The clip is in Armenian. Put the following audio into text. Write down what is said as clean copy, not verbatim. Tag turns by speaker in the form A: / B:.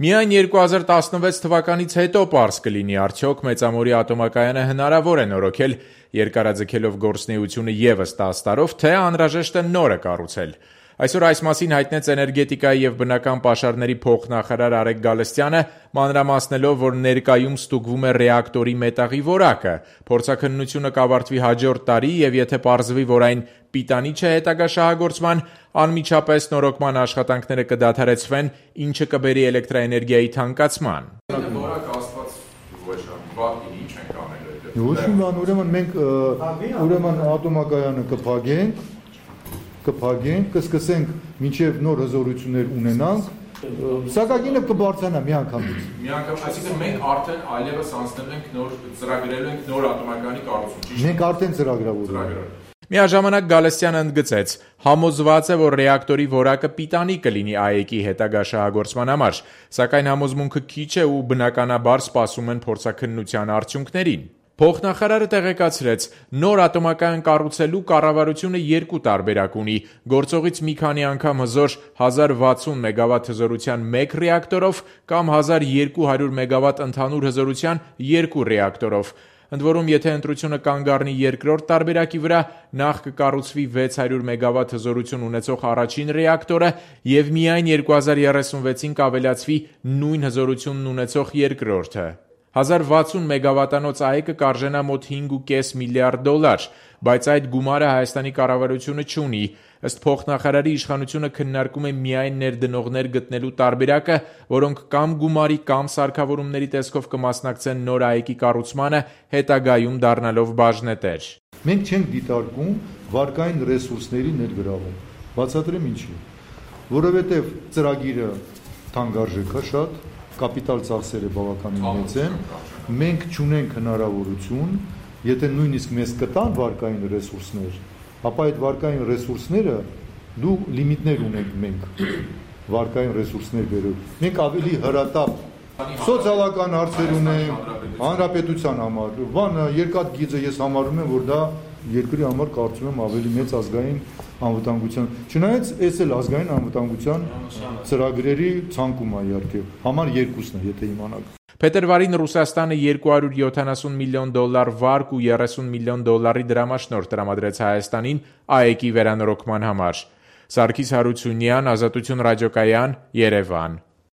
A: Միայն 2016 թվականից հետո պարզ կլինի արդյոք Մեծամորի ատոմակայանը հնարավոր է նորոգել երկարաձգելով գործունեությունը ևս 10 տարով, թե անհրաժեշտ է նորը կառուցել։ Այսօր այս մասին հայտնեց էներգետիկայի և բնական պաշարների փոխնախարար Արեգ Գալստյանը, մանրամասնելով, որ ներկայում ստուգվում է ռեակտորի մետաղի որակը։ Փորձաքննությունը կավարտվի հաջորդ տարի և եթե պարզվի, որ այն պիտանի չէ հետագա շահագործման, անմիջապես նորոգման աշխատանքները կդադարեցվեն, ինչը կբերի էլեկտրաէներգիայի թանկացման։
B: Ուրեմն մենք ատոմակայանը կփակենք, կսկսենք մինչև նոր հզորություններ ունենանք, սակագինը կբարձրանա մի անգամից։
A: Այսինքն մենք արդեն այլևս անցնել ենք ծրագրելու ենք նոր ատոմակայանի կառուցում։
B: Մենք արդեն ծրագրավորել ենք։
A: Միաժամանակ Գալստյանը ընդգծեց. համոզված է, որ ռեակտորի որակը պիտանի կլինի ԱԵԿ-ի հետագա շահագործման համար, սակայն համոզմունքը քիչ է ու բնականաբար սպասում են փորձաքննության արդյունքներին։ Փոխնախարարը տեղեկացրեց, նոր ատոմակայան կառուցելու կառավարությունը երկու տարբերակ ունի՝ գործողից մի քանի անգամ հզոր 1060 մեգավատ հզորության 1 ռեակտորով կամ 1200 մեգավատ ընդհանուր հզորության 2 ռեակտորով։ Ընդ որում, եթե ընտրությունը կանգ առնի երկրորդ տարբերակի վրա, նախ կկառուցվի 600 մեգավատ հզորություն ունեցող առաջին ռեակտորը և միայն 2036-ին կավելացվի նույն հզորությունն ունեցող երկրորդը։ 1060 մեգավատանոց ԱԵԿ-ը կարժենա մոտ $5.5 միլիարդ, բայց այդ գումարը Հայաստանի կառավարությունը չունի։ Ըստ փոխնախարարի, իշխանությունը քննարկում է միայն ներդնողներ գտնելու տարբերակը, որոնք կամ գումարի կամ սարքավորումների տեսքով կմասնակցեն նոր ԱԵԿ-ի կառուցմանը, հետագայում դառնալով բաժնետեր։
B: Մենք չենք դիտարկում վարկային ռեսուրսների ներգրավում։ Բացատրեմ ինչի։ Որովհետև ծրագիրը թանկարժեք է շատ, կապիտալ ծախսերը բավականին մեծ են, մենք չունենք հնարավորություն, եթե նույնիսկ մեզ կտան վարկային ռեսուրսներ, ապա այդ վարկային ռեսուրսները դու լիմիտներ ունենք մենք վարկային ռեսուրսներ բերող։ Մենք ավելի հրատապ սոցիալական հարցեր ունենք, հանրապետության համար, երկաթ գիծը ես համարում եմ, որ դա երկրի համար կարծում եմ ավելի մեծ ազգային անվտանգության, չնայած այս էլ ազգային անվտանգության ծրագրերի ցանկում է իհարկե, համար երկուսն է, եթե իմանաք։
A: Փետրվարին Ռուսաստանը $270 միլիոն վարկ ու $30 միլիոն դրամաշնորհ տրամադրեց Հայաստանին ԱԵԿ-ի վերանորոգման համար։ Սարգիս Հարությունյան, Ազատություն ռադիոկայան, Երևան։